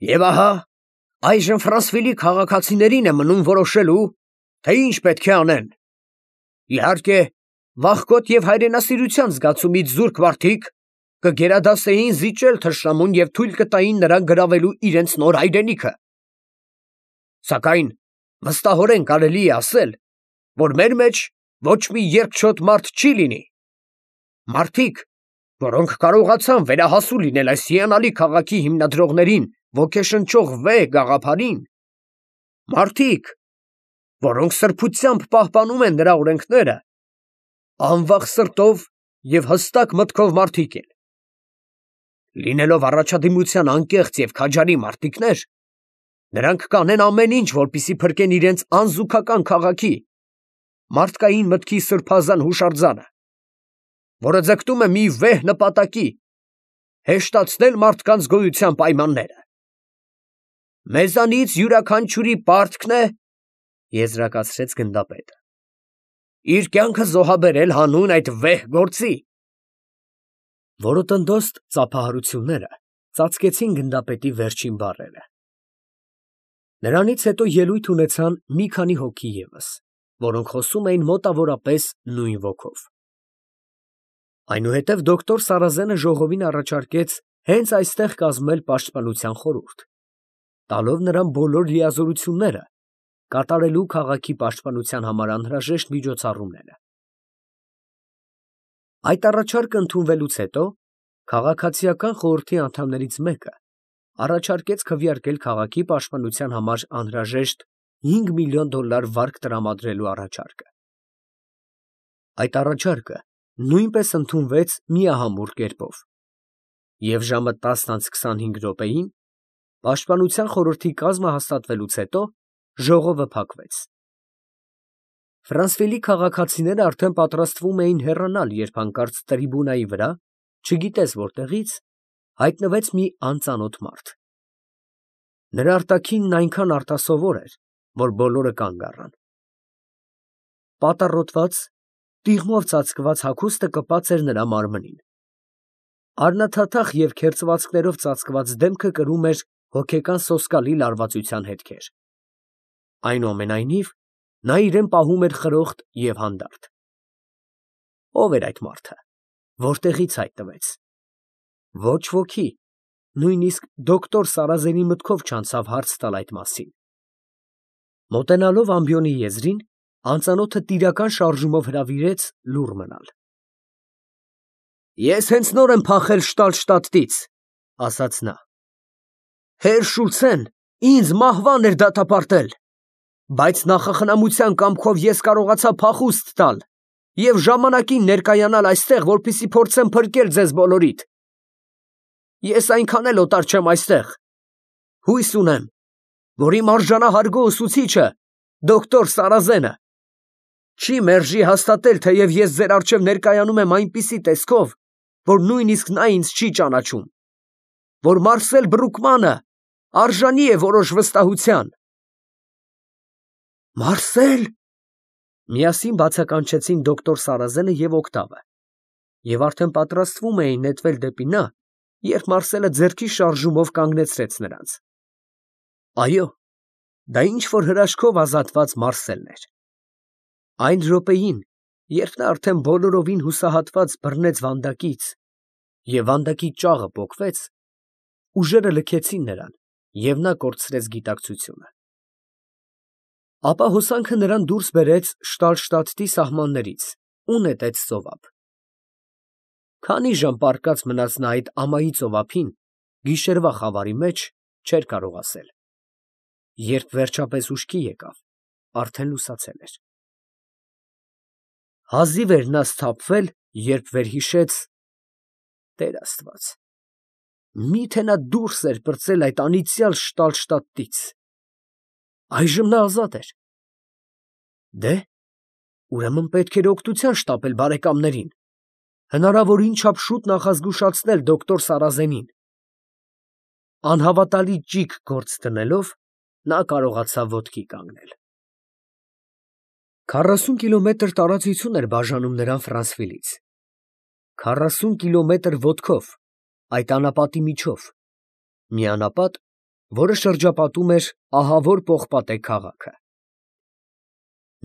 Եվ ահա, այժմ Ֆրանսվիլի քաղաքացիներին է մնում որոշելու, թե ինչ պետք է անեն։ Իհարկե, վախկոտ և հայրենասիրության զգացումից զուրկ մարդիկ կգերադասեին զիջել թշնամուն և թույլ կտային նրան գրավելու իրենց նոր հայրենիքը։ Սակայն վստահորեն կարելի է ասել, որ մեր մեջ ոչ մի երկչոտ մարդ չի լինի։ Մարդիկ, որոնք կարողացան վերահասու լինել այս հիանալի քաղաքի հիմնադրողներին ոգեշնչող վեհ գաղափարին, մարդիկ, որոնք սրբությամբ պահպանում են նրա օրենքները, անվախ սրտով և հստակ մտքով մարդիկ են։ Լինելով առաջադիմության անկեղծ և քաջարի մարտիկներ, նրանք կանեն ամեն ինչ, որպեսզի փրկեն իրենց անզուգական քաղաքի, մարդկային մտքի սրբազան հուշարձանը, որը ձգտում է մի վեհ նպատակի՝ հեշտացնել մարդկանց գոյության պայմանները։ Մեզանից յուրաքանչյուրի պարտքն է, եզրակացրեց գնդապետը, իր կյանքը զոհաբերել հանուն այդ վեհ գործի։ Որոտնդոստ ծափահարությունները ծածկեցին գնդապետի վերջին բառերը։ Նրանից հետո ելույթ ունեցան մի քանի հոգի ևս, որոնք խոսում էին մոտավորապես նույն ոգով։ Այնուհետև դոկտոր Սարազենը ժողովին առաջարկեց հենց այստեղ կազմել պաշտպանության խորհուրդ, տալով նրան բոլոր լիազորությունները, կատարելու քաղաքի պաշտպանության համար անհրաժեշտ միջոցառումները։ Այդ առաջարկը ընդունվելուց հետո քաղաքացիական խորհրդի անդամներից մեկը առաջարկեց քվեարկել քաղաքի պաշտպանության համար անհրաժեշտ $5 միլիոն վարկ տրամադրելու առաջարկը։ Այդ առաջարկը նույնպես ընդունվեց միահամուռ կերպով, և ժամը 10:25 պաշտպանության խորհրդի կազմը հաստատվելուց հետո ժողովը փակվեց։ Ֆրանսվիլի քաղաքացիները արդեն պատրաստվում էին հեռանալ, երբ հանկարծ տրիբունայի վրա, չգիտես որտեղից, հայտնվեց մի անծանոթ մարդ։ Նրա արտաքինն այնքան արտասովոր էր, որ բոլորը կանգ առան։ Պատառոտված, տիղմով ծածկված հագուստը կպած էր նրա մարմնին։ Առնաթաթախ և քերծվածքներով ծածկված դեմքը կրում էր հոգեկան սոսկալի լարվածության հետքեր։ Այնուամենայնիվ, նա իրեն պահում էր խրոխտ և հանդարտ։ Ո՞վ էր այդ մարդը, որտեղից հայտնվեց։ Ոչ ոքի, նույնիսկ դոկտոր Սարազենի մտքով չանցավ հարց տալ այդ մասին։ Մոտենալով ամբիոնի եզրին, անծանոթը տիրական շարժումով հրավիրեց լուռ մնալ։ Ես հենց նոր եմ փախել Շտալշտադտից, ասաց նա։ Հերր Շուլցեն ինձ մահվան էր դատապարտել, բայց նախախնամության կամքով ես կարողացա փախուստ տալ և ժամանակին ներկայանալ այստեղ, որպեսզի փորձեմ փրկել ձեզ բոլորիդ։ Ես այնքան էլ օտար չեմ այստեղ։ Հույս ունեմ, որ իմ արժանահարգ ուսուցիչը, դոկտոր Սարազենը, չի մերժի հաստատել, թեև ես ձեր առջև ներկայանում եմ այնպիսի տեսքով, որ նույնիսկ նա ինձ չի ճանաչում, որ Մարսել Բրուկմանը արժանի է որոշ վստահության։ Մարսել… Միասին բացականչեցին դոկտոր Սարազենը և Օկտավը, և արդեն պատրաստվում էին նետվել դեպի նա, երբ Մարսելը ձեռքի շարժումով կանգնեցրեց նրանց։ Այո, դա ինչ-որ հրաշքով ազատված Մարսելն էր։ Այն րոպեին, երբ նա արդեն բոլորովին հուսահատված բռնեց վանդակից, և վանդակի ճաղը պոկվեց, ուժերը լքեցին նրան, և նա կորցրեց գիտակցությունը։ Ապա հոսանքը նրան դուրս բերեց Շտալշտադտի սահմաններից ու նետեց ծովափ։ Քանի ժամ պառկած մնաց նա այդ ամայի ծովափին, գիշերվա խավարի մեջ, չէր կարող ասել։ Երբ վերջապես ուշքի եկավ, արդեն լուսացել էր։ Հազիվ էր նա սթափվել, երբ վերհիշեց… Տեր Աստված, մի՞թե նա դուրս էր պրծել այդ անիծյալ Շտալշտադտից։ Այժմ նա ազատ էր։ Դե, ուրեմն պետք էր օգնության շտապել բարեկամներին, հնարավորին չափ շուտ նախազգուշացնել դոկտոր Սարազենին։ Անհավատալի ճիգ գործ դնելով, նա կարողացավ ոտքի կանգնել։ 40 կիլոմետր տարածություն էր բաժանում նրան Ֆրանսվիլից։ 40 կիլոմետր ոտքով, այդ անապատի միջով, մի անապատ, որը շրջապատում էր ահավոր պողպատե քաղաքը։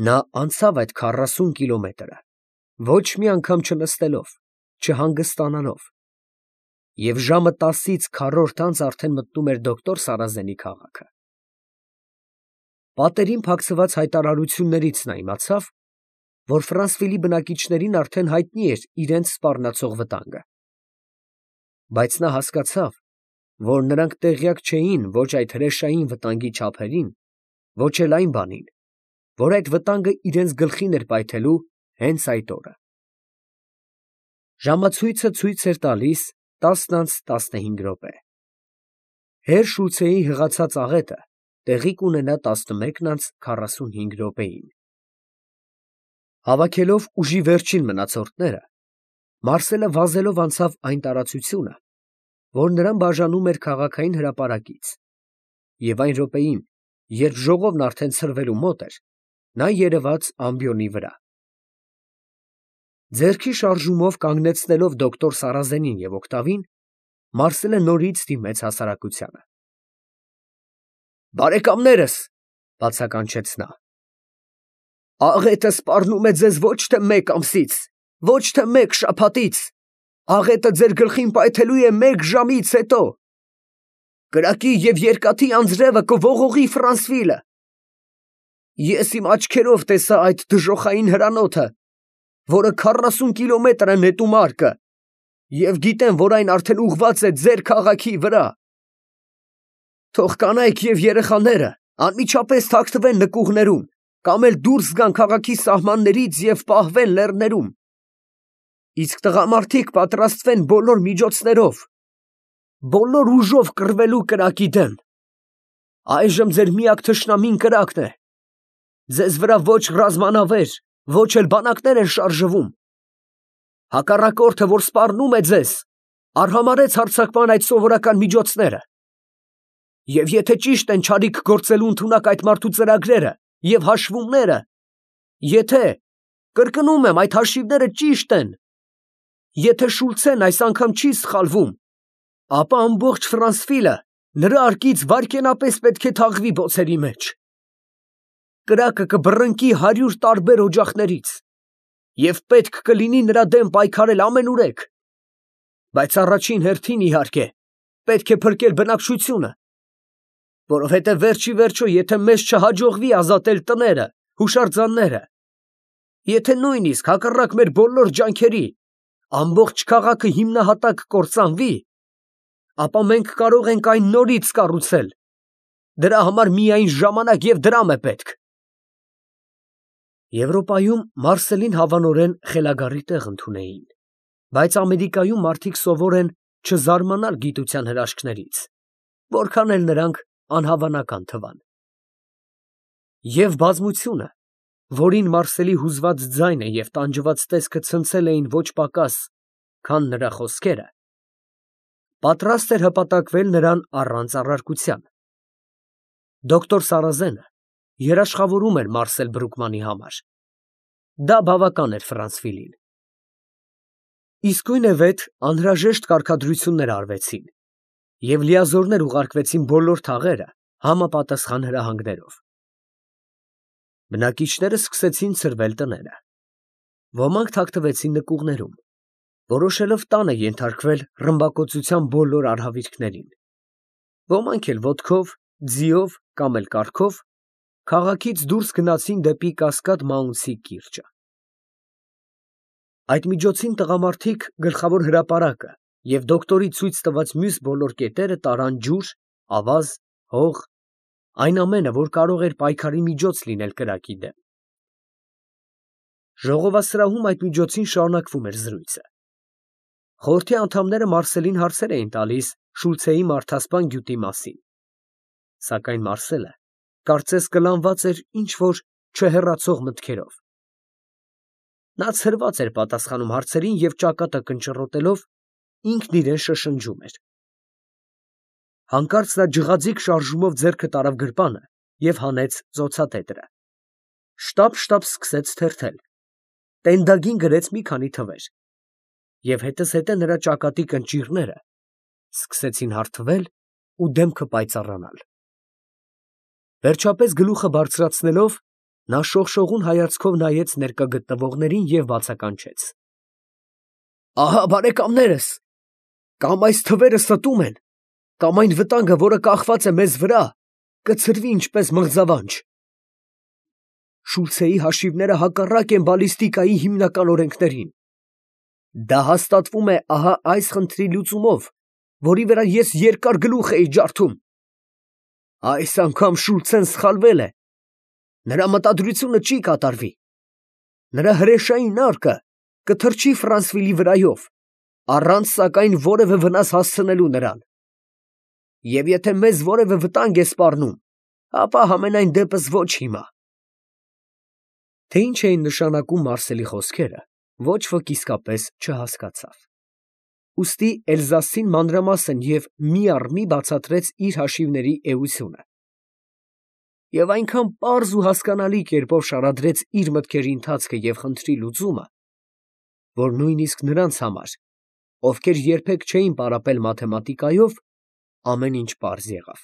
Նա անցավ այդ 40 կիլոմետրը, ոչ մի անգամ չնստելով, չհանգստանալով, և ժամը 10-ից քառորդ անց արդեն մտնում էր դոկտոր Սարազենի քաղաքը։ Պատերին փակցված հայտարարություններից նա իմացավ, որ Ֆրանսվիլի բնակիչներին արդեն հայտնի էր իրենց սպառնացող վտանգը։ Բայց նա հասկացավ, որ նրանք տեղյակ չէին ոչ այդ հրեշային վտանգի չափերին, ոչ էլ այն բանին, որ այդ վտանգը իրենց գլխին էր պայթելու հենց այդ օրը։ Ժամացույցը ցույց էր տալիս 10:15. Հեր Շուլցեի հղացած աղետը տեղի կունենա 11:45. Հավաքելով ուժի վերջին մնացորդները, Մարսելը վազելով անցավ այն տարածությունը, որ նրան բաժանում էր քաղաքային հրապարակից, և այն րոպեին, երբ ժողովն արդեն ցրվելու մոտ էր, նա երևաց ամբիոնի վրա։ Ձեռքի շարժումով կանգնեցնելով դոկտոր Սարազենին և օկտավին, Մարսելը նորից դիմեց հասարակությանը։ «Բարեկամներս, ֊ բացականչեց նա, ֊ աղետը սպառնում է ձեզ ոչ թե մեկ ամսից, ոչ թե մեկ շաբաթից, աղետը ձեր գլխին պայթելու է մեկ ժամից հետո։ Կրակի և երկաթի անձրևը կողողի Ֆրանսվիլը։ Ես իմ աչքերով տեսա այդ դժոխային հրանոթը, որը 40 կիլոմետր է նետում արկը, և գիտեմ, որ այն արդեն ուղղված է ձեր քաղաքի վրա։ Թող կանայք և երեխաները անմիջապես թաքնվեն նկուղներում, կամ էլ դուրս գան քաղաքի սահմաններից և պահվեն լեռներում։ Իսկ տղամարդիկ պատրաստվեն բոլոր միջոցներով, բոլոր ուժով կռվելու կրակի դեմ։ Այժմ ձեր միակ թշնամին կրակն է։ Ձեզ վրա ոչ ռազմանավեր, ոչ էլ բանակներ են շարժվում։ Հակառակորդը, որ սպառնում է ձեզ, արհամարհեց հարձակման այդ սովորական միջոցները։ Եվ եթե ճիշտ են չարիք գործելու ընդունակ այդ մարդու ծրագրերը և հաշվումները, եթե, կրկնում եմ, այդ հաշիվները ճիշտ են, եթե Շուլցեն այս անգամ չի սխալվում, ապա ամբողջ Ֆրանսվիլը նրա արկից վայրկենապես պետք է թաղվի բոցերի մեջ։ Կրակը կբռնկի 100 տարբեր օջախներից, և պետք կլինի նրա դեմ պայքարել ամենուրեք։ Բայց առաջին հերթին, իհարկե, պետք է փրկել բնակչությունը, որովհետև վերջի վերջո, եթե մեզ չհաջողվի ազատել տները, հուշարձանները, եթե նույնիսկ հակառակ մեր բոլոր ջանքերի ամբողջ քաղաքը հիմնահատակ կործանվի, ապա մենք կարող ենք այն նորից կառուցել։ Դրա համար միայն ժամանակ և դրամ է պետք։ Եվրոպայում Մարսելին հավանորեն խելագարի տեղ ընդունեին, բայց Ամերիկայում մարդիկ սովոր են չզարմանալ գիտության հրաշքներից, որքան էլ նրանք անհավանական թվան։ Եվ բազմությունը, որին Մարսելի հուզված ձայնը և տանջված տեսքը ցնցել էին ոչ պակաս, քան նրա խոսքերը, պատրաստ էր հպատակվել նրան առանց առարկության։ Դոկտոր Սարազենը երաշխավորում էր Մարսել Բրուկմանի համար։ Դա բավական էր Ֆրանսվիլին։ Իսկույնևեթ անհրաժեշտ կարգադրություններ արվեցին, և լիազորներ ուղարկվեցին բոլոր թաղերը համապատասխան հրահանգներով։ Բնակիչները սկսեցին ցրվել տները։ Ոմանք թաքնվեցին նկուղներում, որոշելով տանը ենթարկվել ռմբակոծության բոլոր արհավիրքներին։ Ոմանք էլ ոտքով, ձիով կամ էլ կառքով քաղաքից դուրս գնացին դեպի Կասկադ Մաունսի կիրճը։ Այդ միջոցին տղամարդիկ գլխավոր հրապարակը և դոկտորի ցույց տված մյուս բոլոր կետերը տարան ջուր, ավազ, հող, այն ամենը, որ կարող էր պայքարի միջոց լինել կրակի դեմ։ Ժողովասրահում այդ միջոցին շարունակվում էր զրույցը։ Խորհրդի անդամները Մարսելին հարցեր էին տալիս Շուլցեի մարդասպան գյուտի մասին, սակայն Մարսելը կարծես կլանված էր ինչ-որ չհեռացող մտքերով։ Նա ցրված էր պատասխանում հարցերին և ճակատը կնճռոտելով ինքն իրեն շշնջում էր։ Հանկարծ նա ջղաձիգ շարժումով ձեռքը տարավ գրպանը և հանեց ծոցատետրը։ Շտապ սկսեց թերթել, տենդագին գրեց մի քանի թվեր, և հետզհետե նրա ճակատի կնճիռները սկսեցին հարթվել ու դեմքը պայծառանալ։ Վերջապես գլուխը բարձրացնելով, նա շողշողուն հայացքով նայեց ներկա գտնվողներին և բացականչեց. «Ահա բարեկամներս, կամ այս թվերը ստում են, կամ այն վտանգը, որը կախված է մեզ վրա, կցրվի ինչպես մղձավանջ։ Շուլցեի հաշիվները հակառակ են բալիստիկայի հիմնական օրենքներին։ Դա հաստատվում է ահա այս խնդրի լուծումով, որի վրա ես երկար գլուխ էի ջարդում։ Այս անգամ Շուլցեն սխալվել է։ Նրա մտադրությունը չի կատարվի։ Նրա հրեշային արկը կթռչի Ֆրանսվիլի վրայով, առանց սակայն որևէ վնաս հասցնելու նրան։ Եվ եթե մեզ որևէ վտանգ է սպառնում, ապա համենայն դեպս ոչ հիմա»։ Թե ինչ էին նշանակում Մարսելի խոսքերը, ոչ ոք իսկապես չհասկացավ։ Ուստի Էլզասին մանրամասն և մի առ մի բացատրեց իր հաշիվների էությունը։ Եվ այնքան պարզ ու հասկանալի կերպով շարադրեց իր մտքերի ընթացքը և խնդրի լուծումը, որ նույնիսկ նրանց համար, ովքեր երբեք չէին պարապել մաթեմատիկայով, ամեն ինչ պարզ եղավ։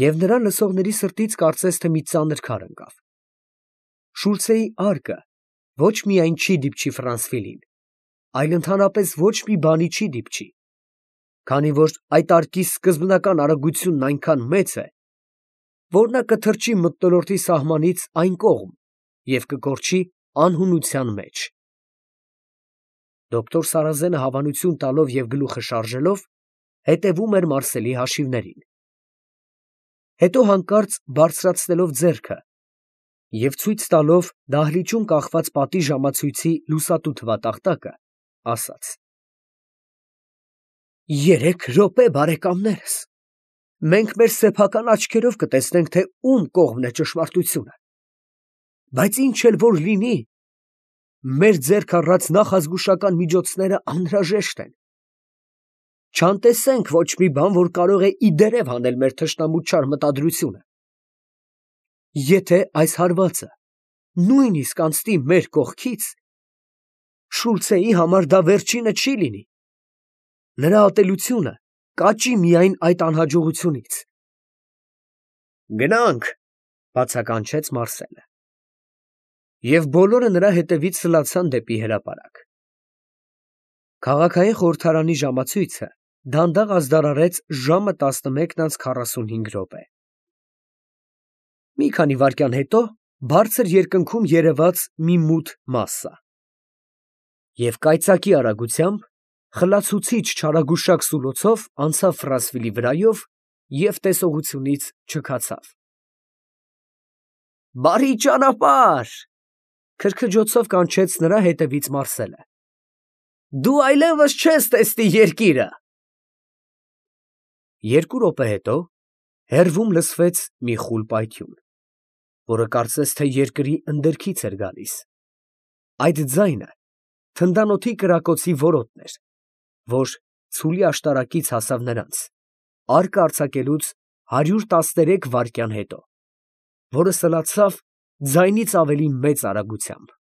Եվ նրան լսողների սրտից կարծես թե մի ծանր քար ընկավ։ Շուլցեի արկը ոչ միայն չի դիպչի Ֆրանսվիլին, այլ ընդհանրապես ոչ մի բանի չի դիպչի, քանի որ այդ արկի սկզբնական արագությունն այնքան մեծ է, որ նա կթռչի մթնոլորտի սահմանից այն կողմ և կկորչի անհունության մեջ։ Դոկտոր Սարազենը հավանություն տալով և գլուխը շարժելով, հետևում էր Մարսելի հաշիվներին։ Հետո հանկարծ բարձրացնելով ձեռքը և ցույց տալով դահլիճում կախված պատի ժամացույցի լուսատու թվատախտակը, ասաց. «3 րոպե, բարեկամներս, մենք մեր սեփական աչքերով կտեսնենք, թե ում կողմն է ճշմարտությունը, բայց ինչ էլ որ լինի, մեր ձեռք առած նախազգուշական միջոցները անհրաժեշտ են։ Չանտեսենք ոչ մի բան, որ կարող է ի դերև հանել մեր թշնամու չար մտադրությունը։ Եթե այս հարվածը նույնիսկ անցնի մեր կողքից, Շուլցեի համար դա վերջինը չի լինի։ Նրա ատելությունը կաճի միայն այդ անհաջողությունից»։ «Գնանք», բացականչեց Մարսելը։ Եվ բոլորը նրա հետևից սլացան դեպի հրապարակ։ Քաղաքային խորհրդարանի ժամացույցը դանդաղ ազդարարեց ժամը 11:45։ Մի քանի վայրկյան հետո բարձր երկնքում երևաց մի մութ մասսա։ Եվ կայծակի արագությամբ, խլացուցիչ չարագուշակ սուլոցով անցավ Ֆրանսվիլի վրայով և տեսողությունից չքացավ։ «Բարի ճանապարհ», քրքջոցով կանչեց նրա հետևից Մարսելը։ «Դու այլևս չես տեսնի երկիրը»։ 2 րոպե հետո հեռվում լսվեց մի խուլ պայթյուն, որը կարծես թե երկրի ընդերքից էր գալիս։ Այդ ձայնը թնդանոթի կրակոցի որոտն էր, որ ցուլի աշտարակից հասավ նրանց, արկը արձակելուց 113 վայրկյան հետո, որը սլացավ ձայնից ավելի մեծ արագությամբ։